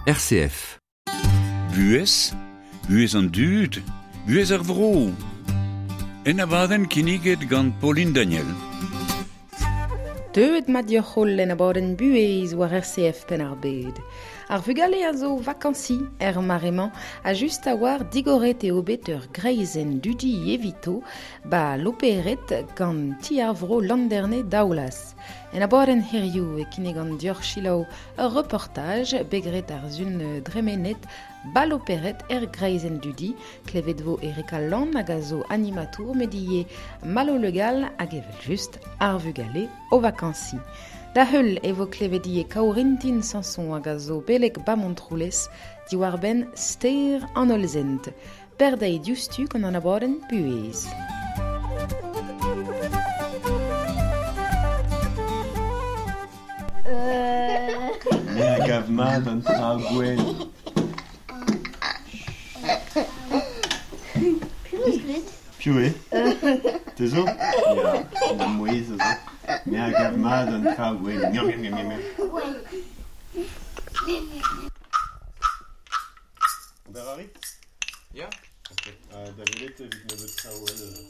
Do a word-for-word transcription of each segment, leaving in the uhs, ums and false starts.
R C F. Buez, buez an dud, buez ar vro. En abadenn kinniget gant Pauline Daniel. Deuet mat dioc'h en abadenn buez war R C F penn ar bed. Ar vugale a zo vakansi er maremañ a just a war digoret eo bet ur greizenn dudi evito ba loperet gant ti ar vro Landerne daoulaz. En abadenn hiziv e kinnig an dioc'h selaou ur reportaj begret ar zun dremenet ba loperet er greizenn dudi klevet vo Eric Allan hag a zo animatour medie Malo Legal hag evel just ar vugale o vakansi. Da heul e vo klevet ivez Kaourintin Sanson hag a zo beleg ba Montroulez diwar benn ster an hollzent. Perdei diouzhtu gant an abadenn buhez. Me a gav mat an tra gwenn. Piv eus graet? Piv eo? Te zo? Ya, ma mouezh a zo. Me a gav mat an tra gwenn. Miaou, miaou, miaou, miaou. Ober a rit? Ya. Ok. Uh, da welet evit nebeut traoù all, euh,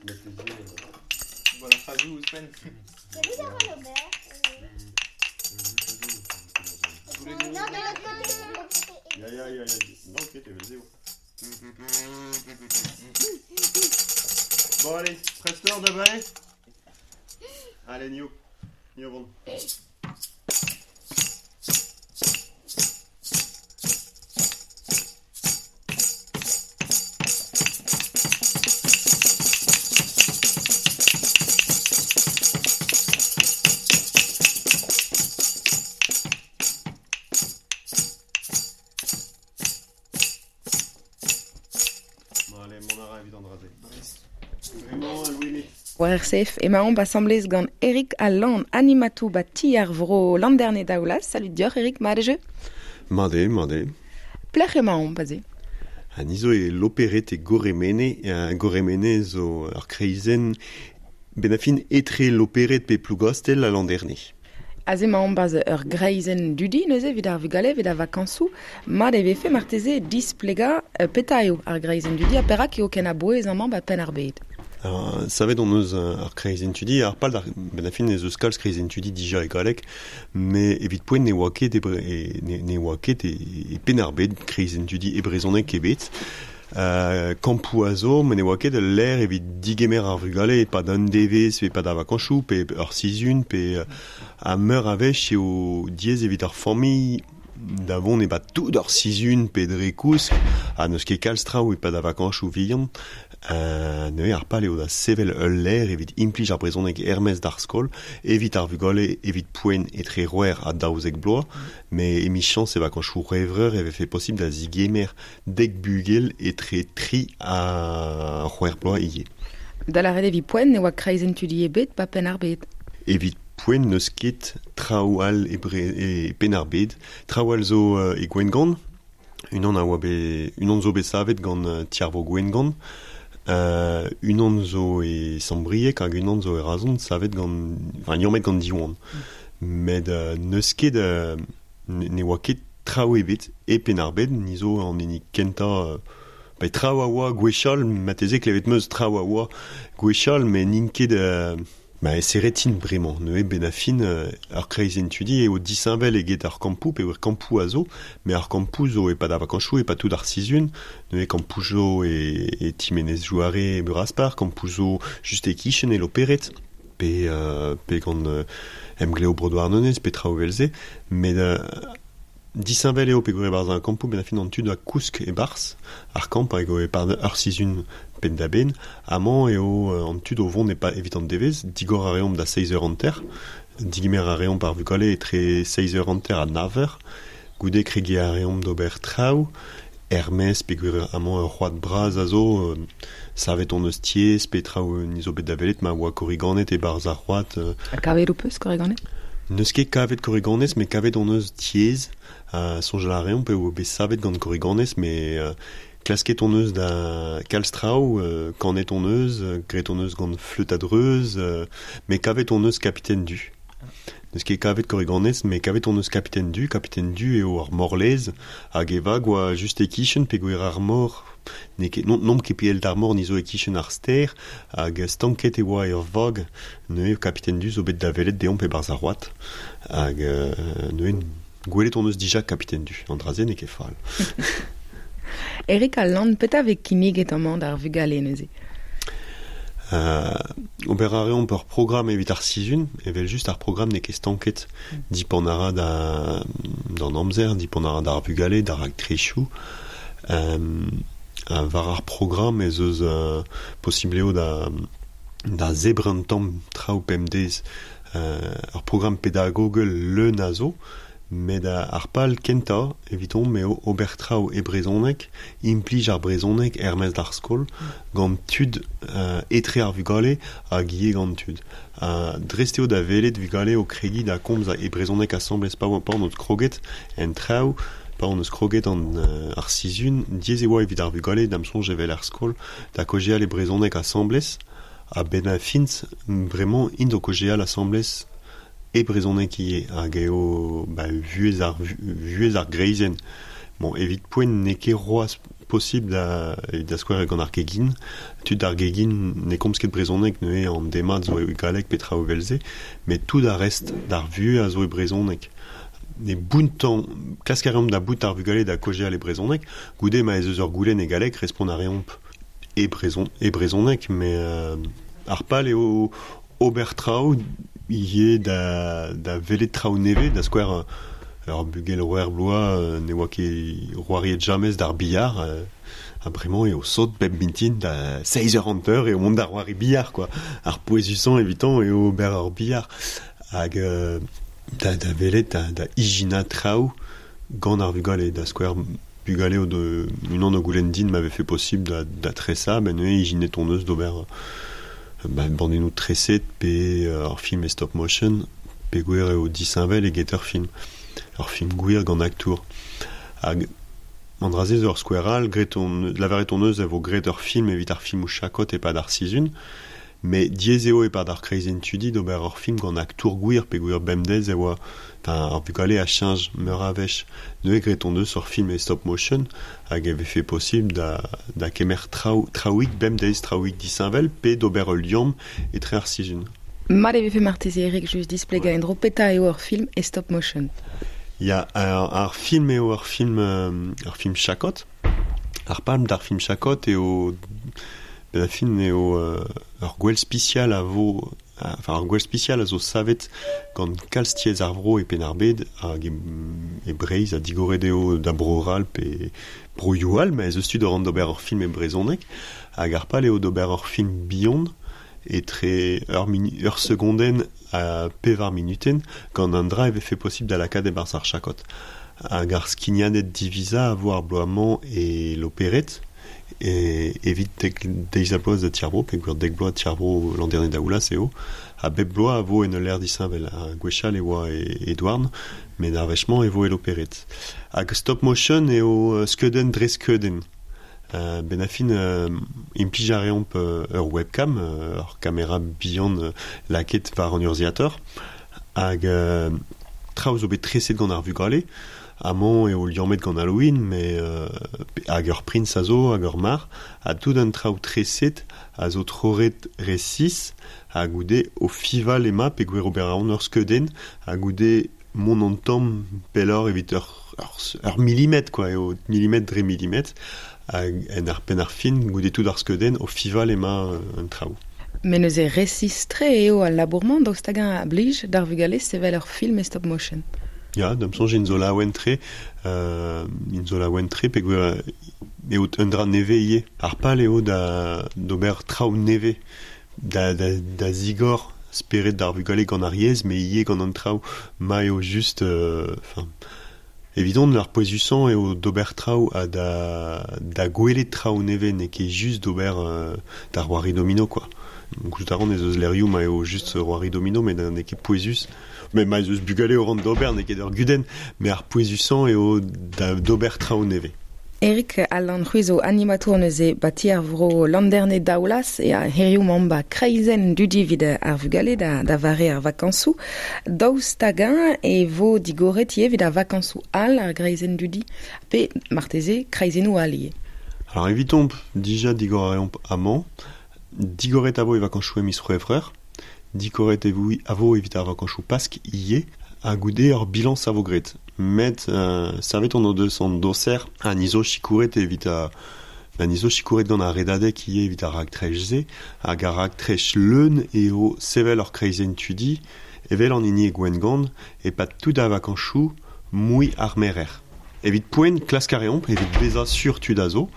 meteze, euh... Bon, ar c'hazou ouzhpenn. Gallout a ran ober. Non, de l'autre côté. Ya, ya, ya, ya. Non, ok, t'es vel zéro. Bon, allez, preste-leur de balai. Allez, Nio. Nio, bon. Bon, allez, mon ara evit an draze. Vraiment, Louis. War R C F emaomp asamblez gant Eric Allan, animatou ba ti ar vro Landerne daoulaz. Salut dioc'h, Eric, mat eo? Mat eo, mat eo. Plec'h emaomp aze? Ha ni zo e loperet e Goremene, uh, Goremene zo ur kreizenn ben a fin etre loperet pe Plougastell a Landerne. Aze emaomp aze ur greizenn dudi neuze evit ar vugale, evit ar vakañsoù. Mat e vefe marteze displegañ euh, petra eo ar greizenn dudi ha perak eo ken a-bouez amañ ba penn ar bed. Alors, savet on eus ar kreizenn tudi, ar pal d'ar ben a fin ez eus kalz kreizenn tudi dija e galleg, me evit poent ne oa ket e bre, e, ne, ne oa ket e, e penn ar bed kreizenn tudi e brezhoneg ebet. Euh, kampoù a zo, me ne oa ket ul lec'h evit digemer ar vugale e pad un devezh, pe pad ar vakañsoù, pe ur sizhun, pe a meur a wech eo diaes evit ar familh da vont e bat tout ur sizhun pe dre kousk, ha n'eus ket kalz traoù e pad ar vakañsoù vihan. Euh, neuze ar pal eo da sevel ul lec'h evit implij ar brezhoneg er-maez d'ar skol, evit ar vugale, evit poent etre c'hwec'h ha daouzek bloaz, me emichañs e vakañsoù C'hwevrer e vefe posibl da zigemer dek bugel etre tri ha c'hwec'h bloaz ivez. Da lâret evit poent ne oa kreizenn tudi ebet ba penn ar bed. Evit poent n'eus ket traoù all e bre, e penn ar bed. Traoù all zo, euh, e Gwengamp. Unan a oa bet, unan zo bet savet gant, euh, ti ar vro Gwengamp. Euh, unan zo e Sant-Brieg hag unan zo e Razon savet gant, enfin, liammet gant Diwan. Met, euh, n'eus ket, euh, ne, ne oa ket traoù ebet e penn ar bed, ni zo an hini kentañ, euh, ba, traoù a oa gwechall, marteze klevet 'm eus traoù a oa gwechall, met n'int ket, euh, ba, e serretin bremañ. Neuze ben a fin, euh, ar kreizenn tudi eo disheñvel eget ar kampoù, pe ur kampoù a zo, met ar kampoù zo e pad ar vakañsoù, e pad tout ar sizhun. Neuze kampoù zo e, e Timenez Jouare e Buraspar, kampoù zo just e kichen e Loperet, pe, euh, pe gant, euh, Emgleo Bro Douarnenez, pe traoù evel-se. Met, euh, disheñvel eo peogwir e-barzh ar kampoù, ben a fin an tud a kousk e-barzh ar kamp hag eo e-pad ur sizhun penn da benn. Amañ eo, euh, an tud o vont e pa, evit an devezh, digor a reomp da seizh eur hanter, digemer a reomp ar vugale etre seizh eur hanter ha nav eur, goude kregiñ a reomp d'ober traoù, er-maez peogwir amañ ur c'hoad bras a zo, euh, savet on eus tiez, pe traoù ni zo bet da welet ma oa korriganed e-barzh ar c'hoad, euh. Ha kavet ho peus korriganed? N'eus ket kavet korriganez, met kavet on eus tiez, euh, soñjal a reomp eo bet savet gant korriganez, met, euh, klasket on eus da kalz traoù, euh, kanet on eus, euh, graet on eus gant fleut a-dreuz, euh, met kavet on eus capitaine du. N'eus ket kavet korriganez, met kavet on eus Capitaine Du, Capitaine Du eo ar morlez, hag e vag oa just e-kichen peogwir ar mor, n'eo ket, non, n'omp ket pell d'ar mor ni zo e-kichen ar stêr, hag stanket e oa ur vag, neuze Capitaine Du zo bet da welet deomp e-barzh ar c'hoad, hag euh, neuze gwelet on eus dija Capitaine Du, an dra-se n'eo ket fall. Eric al Lann, petra vez kinniget amañ d'ar vugale neuze? Euh, ober a reomp ur programm evit ar sizhun, evel just ar programm n'eo ket stanket. Mm. Dipant a ra da, d'an amzer, dipant a ra d'ar vugale, d'ar raktresoù. Euh, war ar programm ez eus euh, posibl eo da, da zebriñ un tamm traoù pemdez. Euh, ur programm pedagogel leun a zo, met ar pal kentañ evidomp eo ober traoù e brezhoneg, implij ar brezhoneg er-maez d'ar skol, gant tud euh, etre ar vugale hag ivez gant tud. Uh, dreist eo da welet vugale o kregiñ da komz e brezhoneg asambles pa oa pa on eus kroget en traoù, pa on eus kroget an euh, ar sizhun, diaes e oa evit ar vugale da'm soñj evel er skol, da kaozeal e brezhoneg asambles, ha benn ar fin bremañ int o kaozeal asambles e brezhoneg ivez, hag eo ba, vuhez ar, vuhez ar greizenn. Bon, evit poent n'eo ket c'hoazh posibl da, da skouer gant ar gegin. Tud ar gegin ne komz ket brezhoneg neuze an demat zo e galleg pe traoù evel-se, met tout ar rest d'ar vuhez a zo e brezhoneg. Ne bountañ, klask a reomp da bout ar vugale da kaozeal e brezhoneg, goude ma ez eus ur goulenn e galleg, respont a reomp e brezhon, e brezhoneg, met euh, ar pal eo ober traoù ivez da, da welet traoù nevez, da skouer ur bugel c'hwec'h bloaz ne oa ket c'hoariet james d'ar billard, euh, ha bremañ eo sot bep mintin da seizh eur hanter eo mont da c'hoari billard, quoi. Ar pouezusañ evitañ eo ober ar billard. Hag euh, da, da welet da, da ijinañ traoù gant ar vugale, da skouer bugale o de unan o goulenn din ma vefe posibl da, da tresañ, ben neuze ijinet hon eus d'ober ba, bandennoù treset pe ur film e stop motion, peogwir eo disheñvel eget ur film. Ur film gwir gant aktour. Hag an dra-se zo ur skouer all, graet on, lavaret hon eus e vo graet ur film evit ar filmoù chakot e-pad ar sizhun, met diaes eo e-pad ar kreizenn tudi d'ober ur film gant aktour gwir peogwir bemdez e oa, enfin, ar vugale a cheñch meur a wech. Neuze graet hon eus ur film e stop motion hag e vefe posibl da, da kemer traoù, traouig bemdez, traouig disheñvel pe d'ober ul liamm etre ar sizhun. Mat e vefe marteze Eric just displegañ en-dro petra eo ur film e stop motion. Ya, ar, ar film eo ur film, euh, ur film chakot. Ar palm d'ar film chakot eo ben ar film eo euh, ur gwell spesial a vo, enfin ur gwell spesial a zo savet gant kalz tiez ar vro e Penn-ar-Bed hag e, e Breizh ha digoret eo da Bro-C'hall pe broioù all, met ez eus tu da ran d'ober ur film e brezhoneg hag ar pal eo d'ober ur film bihan etre ur, minu, ur segondenn ha pevar minutenn gant an dra e vefe posibl da lakaat e-barzh ar chakot. Hag ar skignadenn divizañ a vo ar bloaz-mañ e Loperet, e evit dek deiz ha bloaz da Ti ar Vro, peogwir dek bloaz Ti ar Vro Landerne Daoulaz eo, ha bep bloaz a vo en ul lec'h disheñvel, ha gwechall e oa e Edouarn, met ar wech-mañ e vo e Loperet. Hag stop motion eo skeudenn dre skeudenn. Euh, ben a fin euh, implij a reomp euh, ur webcam, euh, ur kamera bihan euh, lakaet war an urzhiator, hag euh, traoù zo bet treset gant ar vugale, amañ eo liammet gant Halloween, met euh, hag ur prins a zo, hag ur mar, ha tout an traoù treset a zo troret resis, ha goude o fival ema peogwir ober a ran ur skeudenn, ha goude mont an tamm pelloc'h evit ur, ur, ur milimetr, quoi, eo milimetr dre milimetr, hag en ar penn ar fin, goude tout ar skeudenn, o fival ema an traoù. Met neuze resis-tre eo al labour-mañ daoust hag-eñ a blij d'ar vugale sevel ur film e stop motion. Ya, da'm soñj int zo laouen-tre, euh, int zo laouen-tre peogwir eo un dra nevez ivez. Ar pal eo da d'ober traoù nevez, da, da, da zigor spered d'ar vugale gant ar yezh, met ivez gant an traoù ma eo just, enfin, evidon ar pouezusañ eo d'ober traoù ha da, da gwelet traoù nevez, n'eo ket just d'ober euh, d'ar c'hoari domino, quoi. Gouzout a ran ez eus lec'hioù ma eo just c'hoari domino, met n'eo ket pouezus. Met ma ez eus bugale o ran d'ober, n'eo ket ur gudenn, met ar pouezusañ eo da d'ober traoù nevez. Eric Alan c'hwi zo animatour neuze ba ti ar vro Landerne Daoulas e a hiriv mañ ba kreizenn dudi evit ar vugale da, da vare ar vakañsoù. Daoust hag-eñ e vo digoret ivez evit ar vakañsoù all ar greizenn dudi pe marteze kreizennoù all ivez. Alors evitomp dija digor a reomp amañ, digoret a vo e vakañsoù e miz C'hwevrer, digoret e vo a vo evit ar vakañsoù Pask ivez, ha goude ur bilañs a vo graet. Met euh, savet on o deus an doser ha ni zo sikouret evit a ba ni zo sikouret gant ar redadeg ivez evit ar raktres-se, hag ar raktres leun eo sevel ur kreizenn tudi, evel an hini e Gwengamp, e-pad tout ar vakañsoù mui ar merer. Evit poent klask a reomp, evit bezañ sur tud a zo,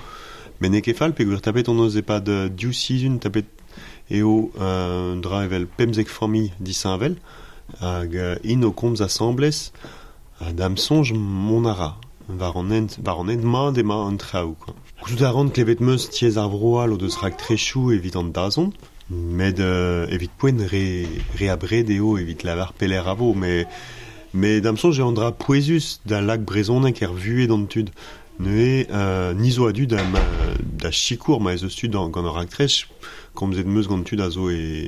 met n'eo ket fall peogwir tapet hon eus e-pad div sizhun tapet eo euh, dra evel pemzek familh disheñvel, hag euh, int o komz asambles, ha da'm soñj mont a ra, war an hent, war an hent mat emañ an traoù, quoi. Gouzout a ran klevet 'm eus tiez ar vro all o deus raktresoù evit an dazont, met euh, evit poent re, re abred eo evit lavar pelec'h a vo, met, met da'm soñj eo an dra pouezus da lak brezhoneg er vuhez d'an tud. Neuze euh, ni zo a-du da, ma, da sikour ma ez eus tud gant ur raktres, komzet 'm eus gant tud a zo e,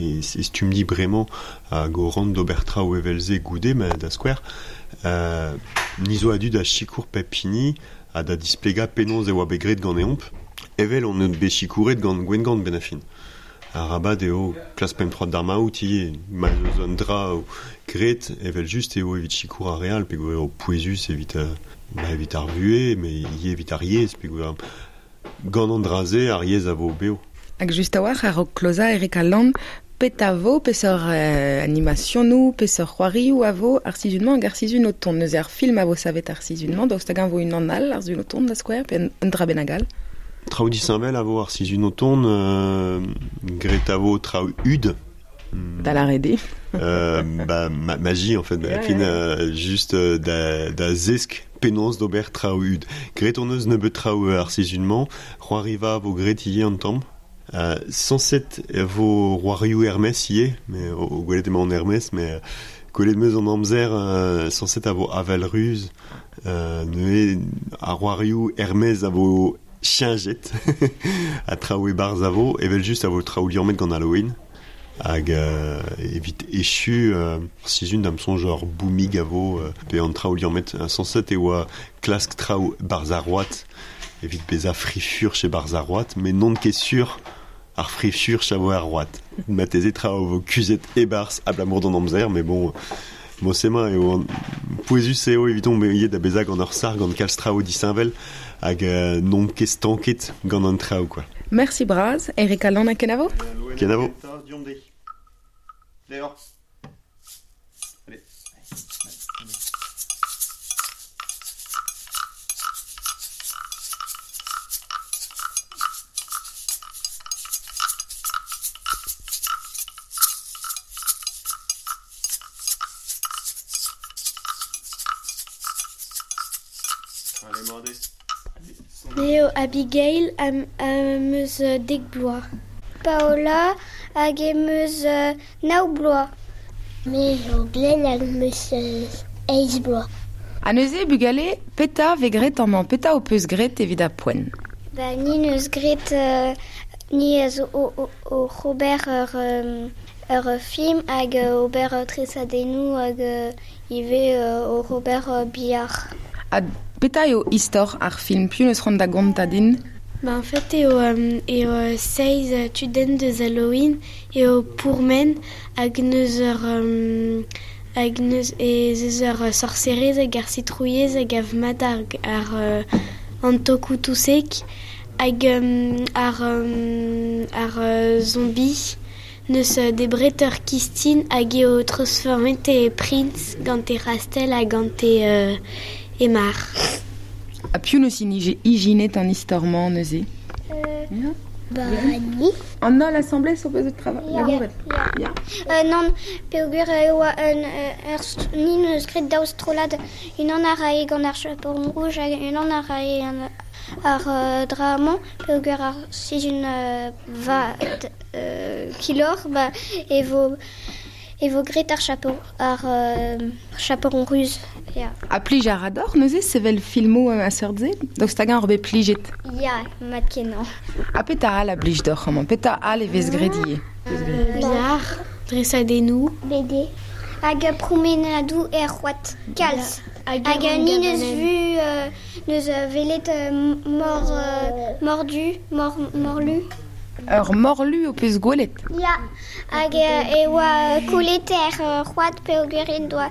e, e stummdi bremañ hag o ran d'ober traoù evel-se goude, ma da skouer. Euh, ni zo a-du da sikour pep hini ha da displegañ penaos e oa bet graet ganeomp, evel on eus bet sikouret gant Gwengamp benn ar fin. Arabat eo klas pemp troad d'ar maout ivez, ma ez eus un dra graet evel just eo evit sikour ar re all, peogwir eo pouezus evit, euh, ba evit ar vuhez, met ivez evit ar yezh, peogwir gant an dra-se ar yezh a vo bev. Hag just a-walc'h a-raok klozañ Eric Alan, pet a vo, peseurt euh, animationoù, peseurt c'hoarioù a vo ar sizhun-mañ hag ar sizhun o tont. Neuze ar film a vo savet ar sizhun-mañ, daoust hag-eñ vo unan all ar sizhun o tont da skouer, pe un, un dra bennak all. Traoù disheñvel a vo ar sizhun o tont, euh, graet a vo traoù hud. Da lâret eo. Euh, ba, ma, magie en fait, ba, Ouais, fin, ouais. euh, juste euh, da, da zesk penaos d'ober traoù hud. Graet hon eus nebeut traoù ar sizhun-mañ, c'hoariva vo graet ivez an tamm. Euh, sañset e vo c'hoarioù Hermès ivez, mais o, o gwelet emañ an Hermès, mais euh, gwelet 'm eus an amzer euh, sañset a vo avel ruz, euh, neuze ar c'hoarioù Hermès a vo cheñchet ha traoù e-barzh a vo, evel just a vo traoù liammet gant Halloween. Hag euh, evit echu euh, sizhun da'm soñj ur boumig a vo euh, pe an traoù liammet sañset e oa klask traoù barzh ar road evit bezañ frifurch e barzh ar road, met n'on ket sur ar frifurch a vo ar road. Marteze traoù vo kuzhet e-barzh abalamour d'an amzer, mais bon, mosema eo an pouezus eo evidon ivez da bezañ gant ur sac'h gant kalz traoù disheñvel hag euh, n'on ket stanket gant an traoù, quoi. Merci bras, Eric Alan ha kenavo. Kenavo. Dehors. Allez. Allez, mordez. Me eo Abigail am, am eus euh, dek bloaz. Paola hag em eus euh, nav bloaz. Me eo Glenn hag em eus euh, eizh bloaz. Ha neuze, bugale, peta vez graet amañ, peta ho peus graet evit ar poent. Ba, ni neus graet euh, ni a zo o, o, o ober ur, euh, ur film hag euh, ober euh, tresadennoù hag euh, ivez euh, o ober euh, billard. Ha peta eo istor ar film, piv neus c'hoant da gontañ din? Ba, en fait, eo, euh, eo euh, seizh euh, tudenn deus Halloween eo pourmen hag neus ur, euh, hag neus ez eus ur sorcerez hag ar sitrouilhez hag av mat ar, ar euh, an tokoù tousek hag euh, ar, euh, ar euh, zombie neus euh, debret ur kistin hag eo transformet e Prince gant e rastel hag gant e, euh, e mar. Ha piv neus inije ijinet an istor-mañ neuze? Euh, Ya. Ba, ni. An holl asambles ho peus o trava- Ya. labouret? Ya. Ya. Euh, nann, peogwir e oa un, euh, ur st- ni neus graet daou strollad, unan a rae gant ar chaperon rouge hag unan a rae an, ar euh, dra-mañ, peogwir ar sizhun euh, va d- euh, kilor, ba, e vo, e vo gret ar chaperon, ar euh, chaperon ruz. Ya. A plij ar ador, neuze, sevel filmo a seurt-se? Daoust hag-eñ ur bet plijet? Ya, mat kenañ. Ha petra all a blij d'oc'h amañ? Petra all e vez graet ivez? Bizarre, dresadennoù. B D. Hag a promenadou er c'hoad. Kalz. Hag Hag a ni neus vu euh, neus velet euh, mor, euh, mordu, mor, morlu. Ur morlu o peus gwelet? Ya, hag euh, e oa kolet er c'hoad peogwir en doa,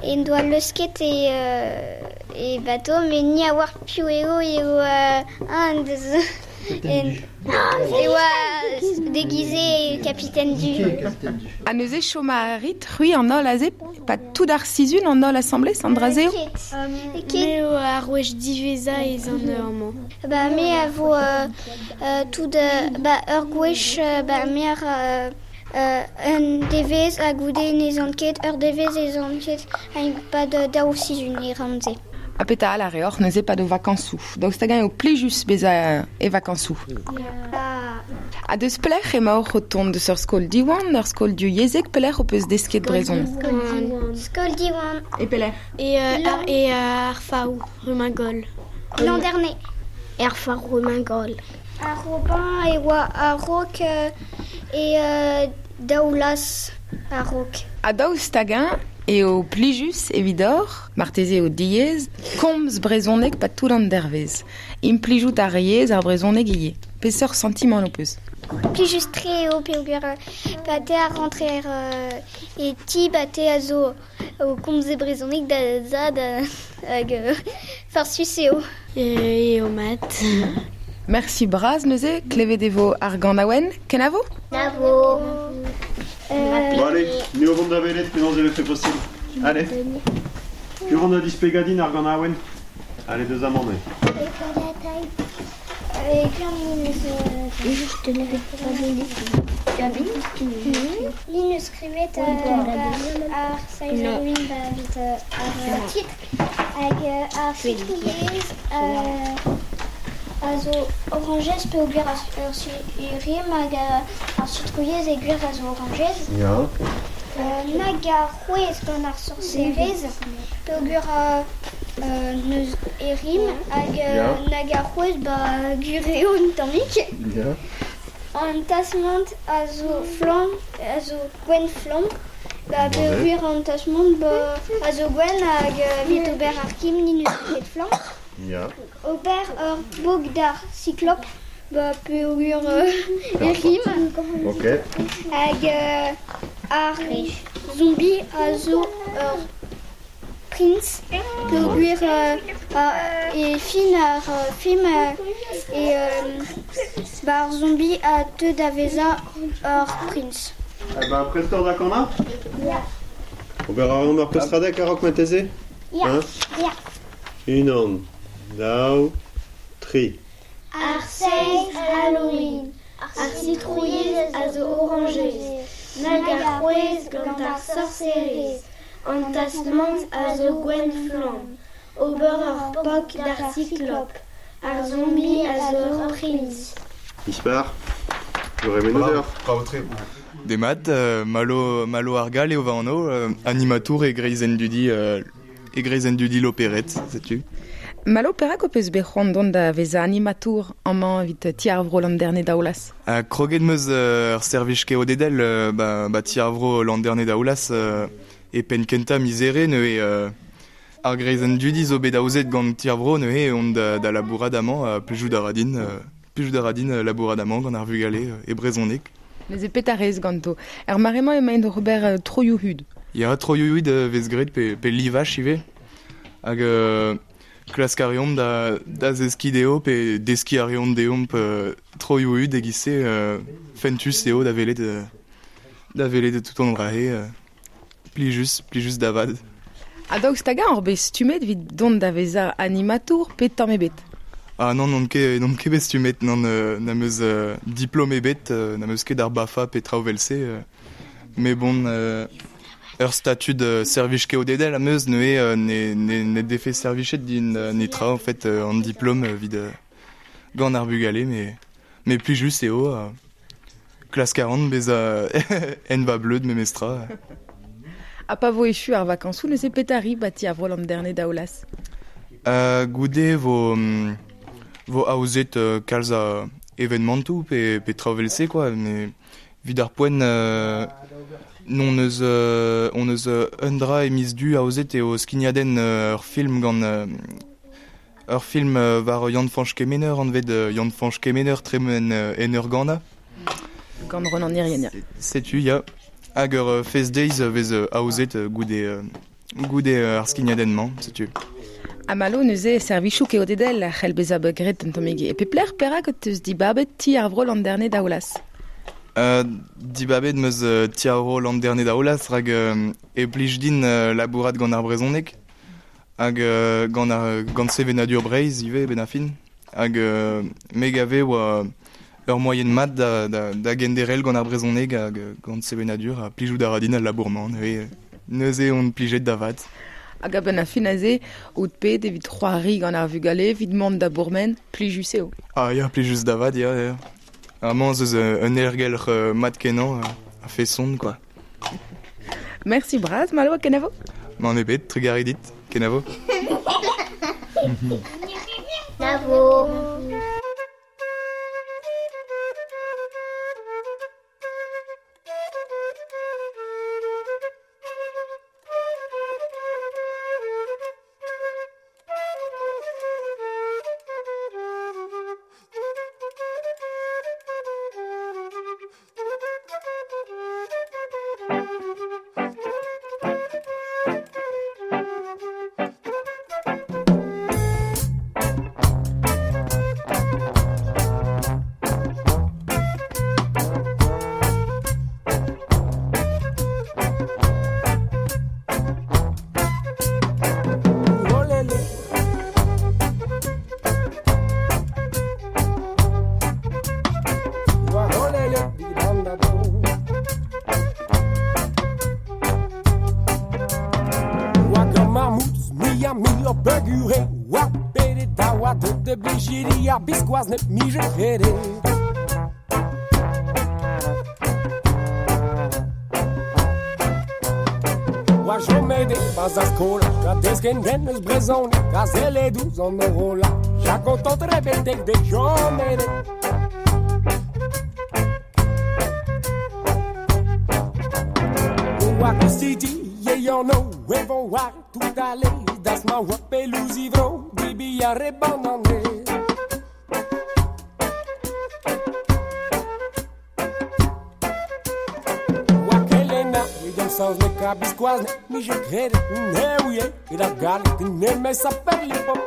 en doa leusket e, euh, e bateau, met ni a oar piv eo eo euh, un deus... En, e oa déguisé capitaine du. Ha neuze chom a rit, c'hwi an holl aze, pa tout ar sizhun an holl asambles, an dra-se eo? Ket. Me eo ar wech diwezhañ ez an amañ. Ba me a vo euh, euh, tout euh, ba ur gwech euh, ba me ar euh, euh, un devez ha goude n'ez an ket, ur devez ez an ket, hag pa de daou sizhun e ran se. Ha petra all a reoc'h neuze pa do vakañsoù. Daoust hag-eñ eo plijus bezañ e vakañsoù. Ya. Ha deus pelec'h emaoc'h o tont deus ur skol Diwan, ur skol divyezhek, pelec'h ho peus desket brezhoneg? Skol Diwan. E pelec'h? E, euh, ar, e ar Faou, Rumengol. L'an dernier. Er Faou, Rumengol. Ar Robin e oa a-raok euh, e euh, daoulaz a-raok. Ha daoust hag-eñ eo plijus evidoc'h, marteze eo diaes, komz brezhoneg pa tout an dervez. Implijout ar yezh ar brezhoneg ivez. Peseurt sentiment ho peus? Plijus tre eo peogwir pa te a rentrer euh, e ti ba te a zo o komz e brezhoneg da zad hag euh, farsus eo. Eo mat. Merci braz neuze, klevet e vo ar ganaouenn. Kenavo? Kenavo. Euh, Bon allez, ni o vont da velet penaos e vefe possible. Allez. Piv vont da dispegadin ar ganaouenn. Allez, deus amañ neuze. Je te l'avais pas donné. Ni neus skrivet ar seiz Halloween ba evit ar titr hag ar citrouilhez a zo orangez peogwir ar rim hag ar citrouilhez e gwir a zo orangez. Ya. Nag ar c'hwez gant ar sorserez peogwir neus e rim hag nag ar c'hwez ba gwir eo un tammig. Ya. An tasmant a zo flamm, a zo gwenn flamm, ba peogwir an tasmant ba a zo gwenn hag evit ober ar kim ni neus ket flamm. Ya. Ober ur bog d'ar cyclope, ba peogwir euh, e rim. Ok. Hag euh, ar zombie a zo ur prince, peogwir euh, e fin ar film euh, e euh, ba ar zombie a teu da vezañ ur prince. Eh ben, prestor da kana? Ya. Ober a reomp ur pestradek a-raok marteze? Ya. Hein? Ya. Unan, daou, tri. Ar seiz Halloween, ar citrouilhez a zo orangez, nag ar c'hwez gant ar sorserez, an tasmant a zo gwenn flamm, ober ur pok d'ar cyclope, ar zombie a zo ur prince. Ispar, Bravo, bravo tre. Demat, euh, Malo, Malo Argal eo va anv, euh, animatour e greizenn dudi, euh, e greizenn dudi l'opéret, setu. Malo perak ho peus bet c'hoant dont da vezañ animatour amañ evit ti ar vro Landerne Daoulaz? Uh, kroget meus ur euh, servij keodedel euh, ba, ba ti ar vro Landerne Daoulaz euh, e penn kentañ mizere neuze euh, ar greizenn dudi zo bet aozet gant ti ar vro neuze on da, da labourat amañ uh, plijout a ra din, euh, plijout a ra din labourat amañ gant ar vugale euh, e brezhoneg. Neuze petra rez ganto. Er mare-mañ emaint oc'h ober euh, troioù-hud. Ya, troioù-hud euh, vez graet pe, pe livaj ivez. Hag euh, klask a reomp da, da zeskiñ dezho pe deskiñ a reomp deomp euh, troioù-hud e-giz-se euh, fentus eo da welet euh, da welet tout an dra-se euh, plijus, plijus da vat. Ha daoust hag-eñ ur bet stummet evit dont da vezañ animatour pe tamm ebet? Ah non, n'on ket, n'on ket bet stummet, non, euh, n'am eus euh, diplôme ebet, euh, n'am eus ket ar BAFA pe traoù vel-se, euh, mais bon, euh, ur statud euh, servij keodedel am eus neuze euh, ne, ne, ne defe servichet din euh, netra en fait euh, an diplôme euh, vid euh, gant ar bugale, mais, mais plijus eo, euh, Klask a ran bez a en va bleud memestra. A pa vo echu ar vakañsoù neuze petari bati ar vro Landerne daoulas. Euh, goude vo, vo aozet euh, kalz a evenmantoù pe, pe traoù quoi, mais vid ar poent euh, non eus, euh, on eus euh, un dra e miz du aozet eo skignadenn euh, ur film gant euh, ur film euh, war Yann-Fañch Kemener anvet euh, Yann-Fañch Kemener tremen euh, en ur gana. Gant Ronan Irien, ya. Setu, ya. Hag ur euh, Fest Days vez euh, aozet euh, goude, euh, goude euh, ar skignadenn-mañ, setu. A malo neuze servichoù keodedel a c'hell bezañ bet graet un tammig. E peplec'h perak teus dibabet ti ar vro Landerne daoulas? Euh, dibabet meus euh, ti ar vro Landerne daoulas rak euh, e plij din euh, labourat gant ar brezhoneg hag euh, gant ar gant sevenadur Breizh ivez ben a fin hag euh, me gave oa ur moyen mat da, da, da genderel gant ar brezhoneg hag gant sevenadur ha plijout a ra din al labour-mañ neuze, neuze on plijet da vat. Hag a-benn a fin aze, out pet evit c'hoari gant ar vugale, evit mont da bourmen, plijus eo. Ah ya, plijus da vat, ya, ya. Amañ zeus un aergelc'h euh, mat kenañ a feson, quoi. Merci bras, Malo, kenavo. M'en ebet, trugarez dit, kenavo. Kenavo. Biskoaz nep mije krede. Oa jomede baz ar skola, a desken den eus brezhoneg, a zelle douz an orola, ja kontant rebetek de jomede. Oa kustiti, ye yon o, evon war tout ale, das ma oa pelouz ivro, dibi a rebanane. Sans le kabiskoaz, ne mi je krede, ne ouye, et la gale, ne me s'appelle les popes.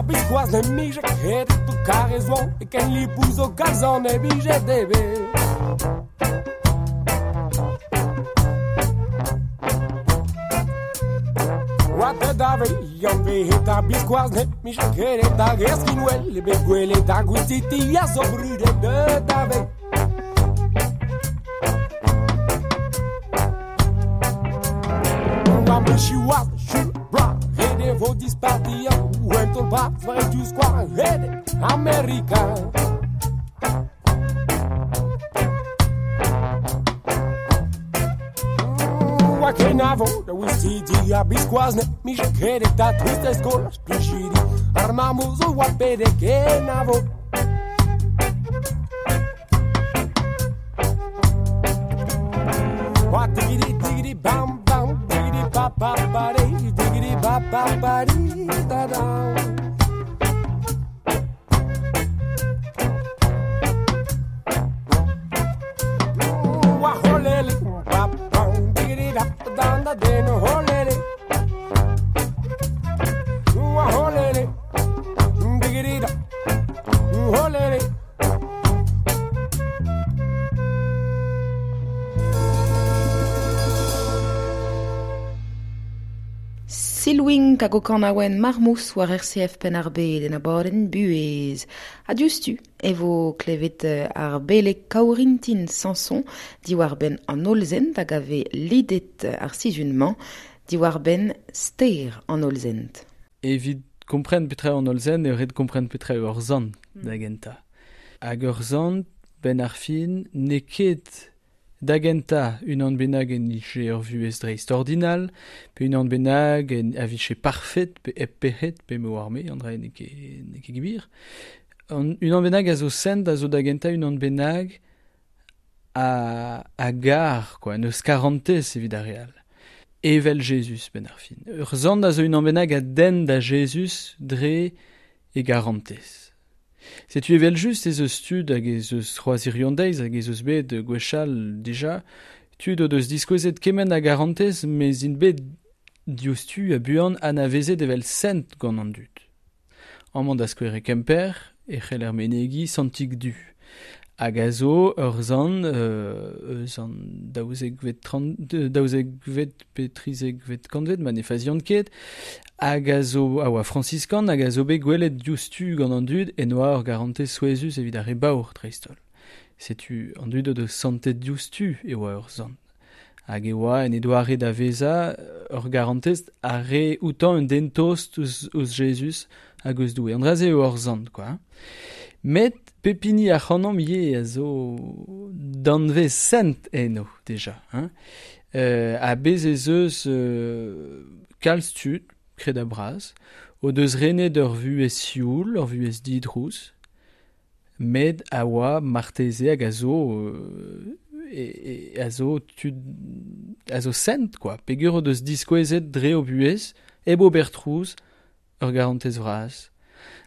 Biskoaz ne mije kredet o karez oan e ken lipouz o galzan e bije debe. Oa te dave yann vehet ar biskoaz ne mije kredet hag erskinwel e bet gwelet ar gwistiti a zo brudet de dave. Oa mechiouaz chul bra rede vo dispartian Ou tol bras, vrai du square, red américain. Kenavo, da wistidi a biskoaz ne mije kredet da tristez kola splijidi ar mamoz o oa pede kenavo. ba ba ba dee, diggity ba ba ba dee da da. Wa holele, ba ba, diggity da da da da holele. Wa holele, diggity da, holele. Silwing hag o kanaouen marmous war R C F Penn-ar-Bed en abadenn buhez. Ha diouzhtu e vo klevet ar beleg Kaourintin Samson diwar benn an hollzent hag a vez lidet ar sizhun-mañ diwar benn ster an hollzent. Evit kompren petra an hollzent eo ret kompren petra eo ur zant da gentañ. Hag ur zant benn ar fin n'eo ket da gentañ unan bennak en nije ur vuhez dreist-ordinal, pe unan bennak en a vije parfet, pe hep pec'hed, pe me oar me, an dra n'eo ket, n'eo ket gwir. An, unan bennak a zo sent, a zo da gentañ unan bennak a, a gar, quoi, neus karantez evit ar re all. Evel Jezuz ben ar fin. Ur zant a zo unan bennak a den da Jezuz dre e garantez. Setu evel just ez eus tud hag ez eus c'hoazh hiriv an deiz hag ez eus bet gwechall dija, tud o deus diskouezet kement a garantez mez int bet diouzhtu ha buan anavezet evel sent gant an dud. Amañ da skouer e Kemper e c'heller menegiñ Santig Du. Hag a zo ur zant euh, eus an daouzekvet trant, daouzekvet pe trizekvet kantved, ma ne fazian ket, hag a zo a oa frañsiskan hag a zo bet gwelet diouzhtu gant an dud en oa ur garantez souezhus evit ar re baour dreist-holl. Setu an dud o deus santet diouzhtu e oa ur zant. Hag e oa en e doare da vezañ ur garantez a re outañ un den tost ouzh, ouzh Jezuz hag eus Doue. An dra-se eo ur zant, quoi. Met pepini ar c'hanomp ivez a zo danvez sent eno, déjà. Hein. Euh, a bez ez eus euh, kalz tud, kred a braz, o deus renet ur vuhez sioul, ur vuhez didrouz, met a oa marteze hag a zo, euh, e, e, a zo tud, a zo sent, quoi. Peogwir o deus diskouezet dre o buhez, hep ober trouz, ur garantez vras.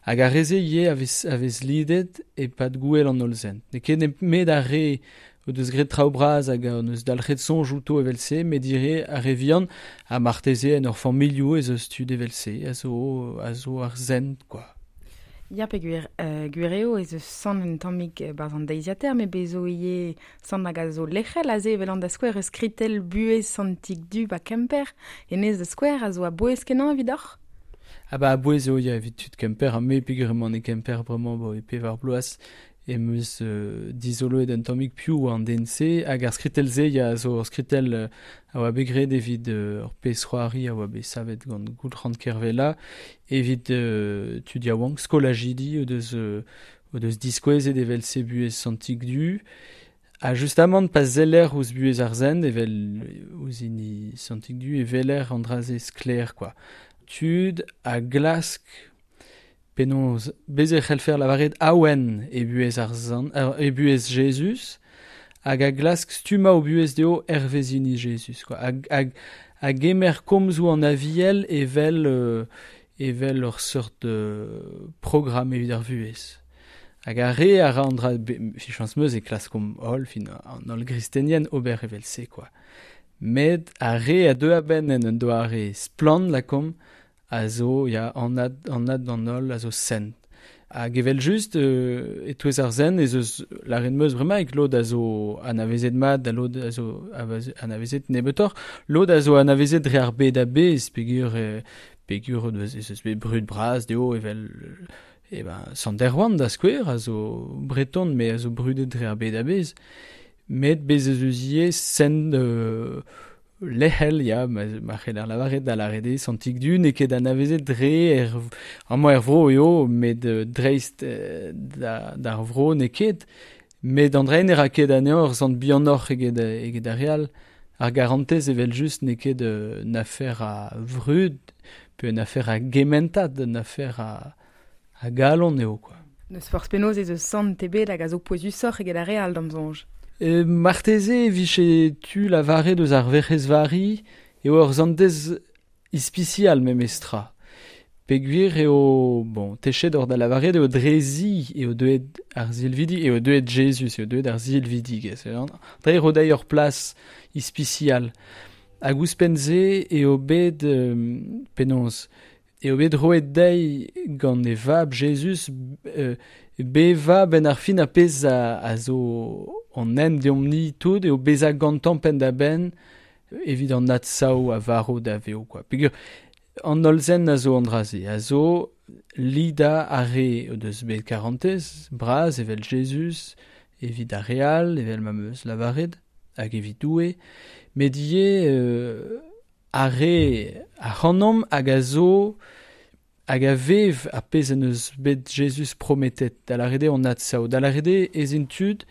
Hag ar re-se ivez a vez, a vez lidet e-pad gouel an hollzent. N'eo ket nemet ar re o deus graet traoù bras hag o deus dalc'het soñj outo evel-se, met ivez ar re vihan ha marteze en ur familhoù ez eus tud evel-se, a zo, a zo ar sent, quoi. Ya peogwir, euh, gwir eo ez eus sant un tammig barzh an deiziataer, met bez zo ivez sant hag a zo lec'hel aze evel an da skouer eus skritell buhez Santig Du ba Kemper, hennezh da skouer a zo a-bouez kenañ evidoc'h? Ah ba a-bouez eo ya evit tud Kemper, ha me peogwir emaon e Kemper bremañ bo e pevar bloaz em eus euh, dizoloet un tammig piv an den-se, hag ar skritell-se ya a zo ur skritell euh, a oa bet graet evit euh, ur pezh c'hoari a oa bet savet gant Goulc'han Kervella evit euh, tud yaouank skolajidi o deus, euh, o deus diskouezet evel-se buhez Santig Du. Ha justamant pa zeller ouzh buhez ar sent evel ouzh hini Santig Du e weler an dra-se sklaer, quoi. Tud a glask penaos bez e c'hellfer lavaret awen e buhez ar zant, e buhez Jezuz, hag a glask stummañ o buhez dezho hervez hini Jezuz, quoi. Hag, hag, a gemer komzoù an aviel evel, euh, evel ur seurt euh, programm evit ar vuhez. Hag ar re a ra an dra, fichañs meus e klaskomp holl, fin an holl gristenien ober evel-se, quoi. Met ar re a deu a-benn en un doare splann lakomp a zo ya anad, anad d'an holl a zo sent. Hag evel just euh, e-touez ar sent ez eus lâret meus bremaik lod a zo anavezet mat ha lod a zo anavezet nebeutoc'h, lod a zo anavezet dre ar bed a-bezh peogwir euh, peogwir ez eus bet brud bras dezho evel eh ben Sant Erwan da skouer a zo breton met a zo brudet dre ar bed a-bezh. Met bez ez eus ivez sent euh, lec'hel, ya, ma, ma c'heller lavaret da lâret eo Santig Du n'eo ket anavezet dre er, amañ er vro eo, met euh, dreist euh, da, d'ar vro n'eo ket, met an dra ne ra ket anezhañ ur sant bihanoc'h eget, eget ar re all. Ar garantez evel just n'eo ket euh, un afer a vrud, pe un afer a gementad, un afer a, a galon eo, quoi. N'eus forzh penaos ez eus sant ebet hag a zo pouezusoc'h eget ar re all d'am soñj. E marteze e vije tu lavaret eus ar Werc'hez Vari eo ur zantez ispisial memestra. Peogwir eo, bon, techet ur da lavaret eo drezi eo deuet ar zilvidi, eo deuet Jezuz, eo deuet ar zilvidigezh. Dre eo dezhi ur plas ispisial. Hag ouzhpenn-se eo bet, euh, penaos, eo bet roet dezhi gant e vab Jezuz euh, beva ben ar fin a pezh a, a zo an hent deomp-ni tout eo bezañ gantañ penn-da-benn evit an adsav a varv da veo, quoi. Peogwir an holl-zen a zo an dra-se, a zo lida ar re o deus bet karantez, bras evel Jezuz, evit ar re all, evel ma 'm eus lavaret, hag evit Doue, met ivez euh, ar re ac'hanomp hag a zo hag a vev ar pezh en deus bet Jezuz prometet, da lâret eo an adsav, da lâret eo ez int tud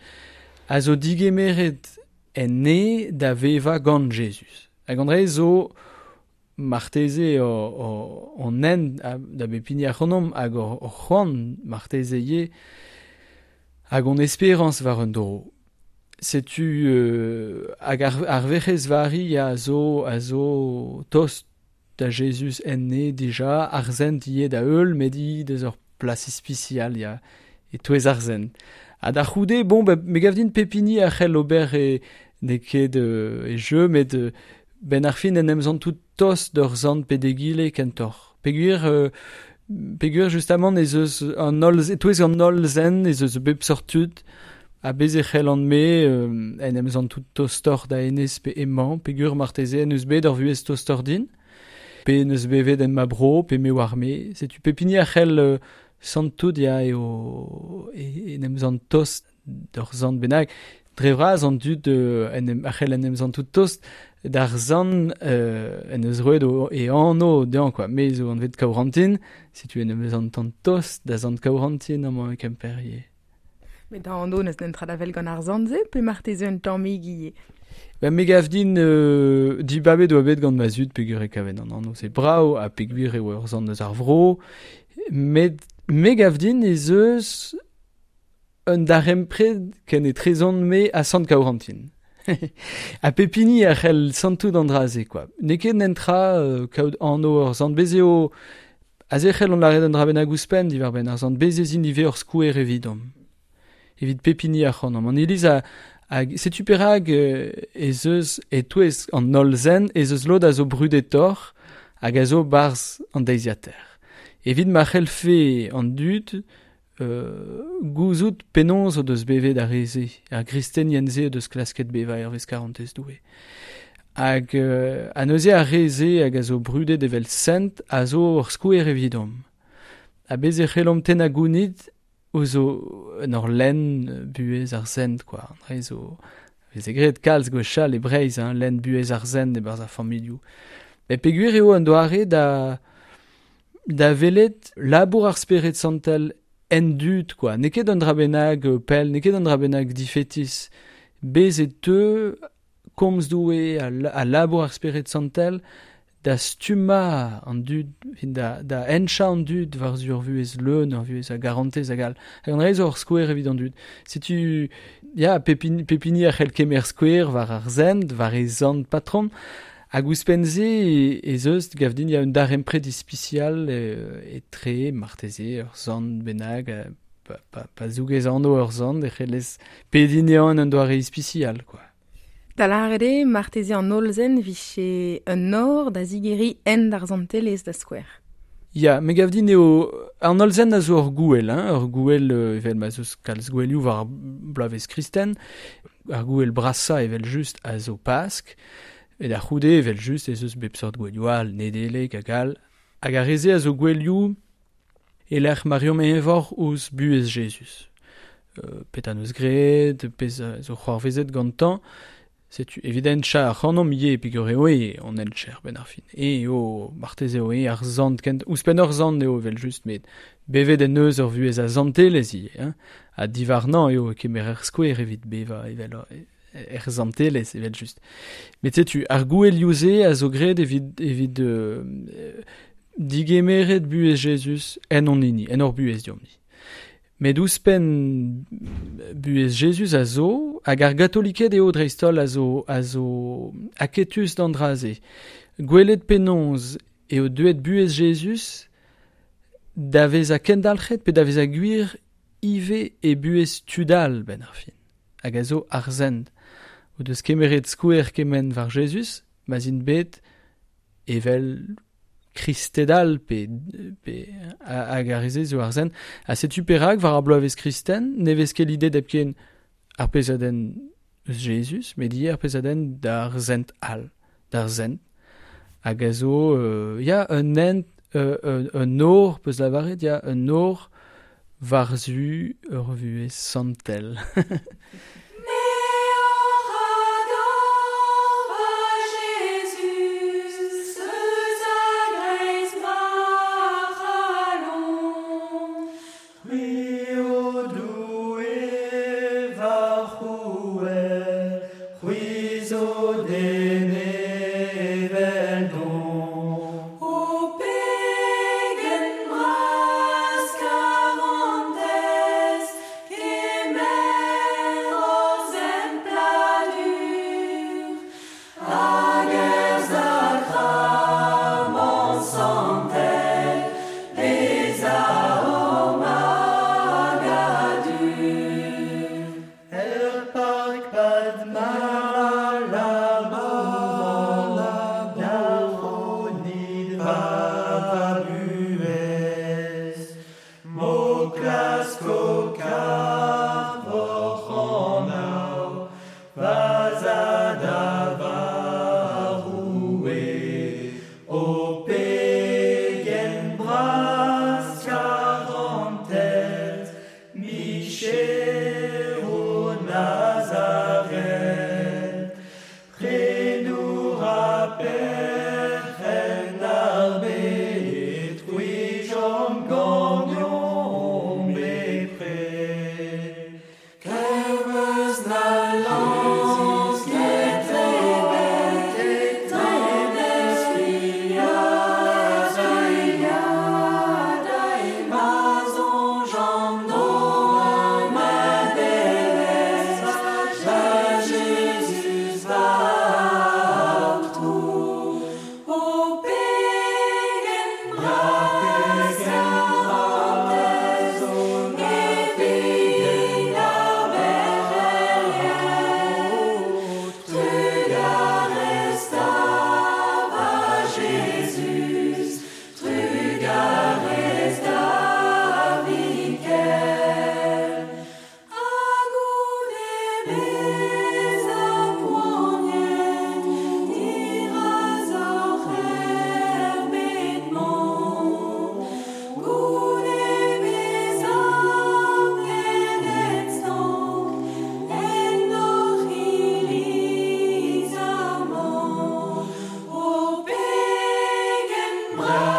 a zo digemeret en ne da vevañ gant Jezuz. Hag an dra zo marteze o, o, on hent da bep hini ac'hanomp hag hor, hor c'hoant marteze ivez hag hon esperañs war un dro. Setu euh, hag ar, ar Werc'hez Vari a zo, a zo tost da Jezuz en ne dija, ar zent ivez da heul, met hi deus ur plas ispisial ya, e-touez ar zent. Ha da c'houde, bon, ba, me gav din pep hini a c'hell ober e, n'eo ket euh, e jeu, met euh, ben ar fin en em zantout tost d'ur zant pe d'egile kentoc'h. Peogwir, euh, peogwir justamant ez eus an holl, e-touez an holl zen ez eus bep seurt tud, ha bez e c'hellan me euh, en em zantout tostoc'h da hennezh pe emañ, peogwir marteze en eus bet ur vuhez tostoc'h din, pe en eus bevet en ma bro, pe me oar me. Setu pep hini a c'hell euh, santout ya eo e, en em zant tost d'ur zant bennak. Dre vras an dud euh, en em, a c'hell en em zantout tost d'ar zant euh, en eus roet o, e anv dezhañ, quoi. Me zo anvet Kaourantin, setu en em zantan tost da zant Kaourantin amañ e Kemper ivez. Met da anv n'eus netra da wel gant ar zant-se, pe marteze un tammig ivez? Ben, me gav din euh, dibabet oa bet gant ma zud peogwir e kaven an anv se brav ha peogwir eo ur zant eus ar vro, met me gav din ez eus un darempred ken etrezon-me ha sant Kaourantin. Ha pep hini a c'hell santout an dra-se, quoi. N'eo ket netra euh, kaout anv ur zant. Bez eo, aze c'hell on lâret un dra bennak ouzhpenn diwar-benn ar zant. Bez ez int ivez ur skouer evidomp. Evit pep hini ac'hanomp. An iliz a, a setu perak euh, ez eus e-touez an holl zen ez eus lod a zo brudetoc'h hag a zo barzh an deiziataer. Evit ma c'hellfe an dud euh, gouzout penaos o deus bevet ar re-se, ar gristenien-se o deus klasket bevañ hervez karantez Doue. Hag euh, ha neuze ar re-se hag a zo brudet evel sent a zo ur skouer evidomp. Ha bez e c'hellomp tennañ gounid ouzh o en ur lenn buhez ar sent, quoi. An dra zo veze graet kalz gwechall e Breizh, hein, lenn buhez ar sent e-barzh ar familhoù. Met peogwir eo un doare da da welet labour ar Spered Santel en dud, quoi. N'eo ket un dra bennak pell, n'eo ket un dra bennak difetis. Bez e teu komz Doue a, a labour ar Spered Santel da stummañ an dud, da, da henchañ an dud war zu ur vuhez leun, ur vuhez a garantez hag all. Hag an dra zo ur skouer evit an dud. Setu, ya, pep hini, pep hini a c'hell kemer skouer war ar zent, war e zant patron, hag ouzhpenn-se ez eus, gav din, ya un darempred ispisial etre, marteze, ur zant bennak, pa, pa, pa zougez anv ur zant, e c'hellez pediñ anezhañ en un doare ispisial, quoi. Da lâret eo, marteze an holl zen vije un nor da zigeriñ hent ar zantelezh da skouer. Ya, me gav din eo an holl zen a zo ur gouel, hein, ur gouel evel ma zeus kalz gouelioù war ar bloavezh kristen, ar gouel brasañ evel just a zo Pask, e da c'houde evel just ez eus bep seurt gouelioù all, Nedeleg hag all, hag ar re-se a zo gouelioù e lec'h ma reomp eñvor ouzh buhez Jezuz. Euh, petra neus graet, pezh a zo c'hoarvezet gantañ, setu evit henchañ ac'hanomp ivez peogwir eo eo an hencher benn ar fin. Eo, marteze eo eo ar zant kent, ouzhpenn ur zant eo evel just, met bevet en eus ur vuhez a zantelezh ivez, hein, ha diwarnañ eo kemer ur skouer evit bevañ evel er zantelezh evel just. Met setu, ar gouelioù-se a zo graet evit, evit euh, digemeret buhez Jezuz en hon hini, en hor buhez deomp-ni. Met ouzhpenn buhez Jezuz a zo, hag ar gatoliked eo dreist-holl a zo, a zo aketus d'an dra-se. Gwelet penaos eo deuet buhez Jezuz da veza kendalc'het pe da veza gwir ive e buhez tudal ben ar fin. Hag a zo ar zent. O deus kemeret skouer kement war Jezuz, ma zint bet evel kristedal pe, pe hag ar reze zo ar zen. Ha setu perak war ar bloavezh kristen, ne vez ket l'idée d'epken ar pezadenn eus Jezuz, met ivez ar pezadenn d'ar zent all, d'ar zent. Hag a zo, euh, ya, un hent, euh, un, un or, peus lavaret, ya, un or war-zu ur vuhez santel. Bra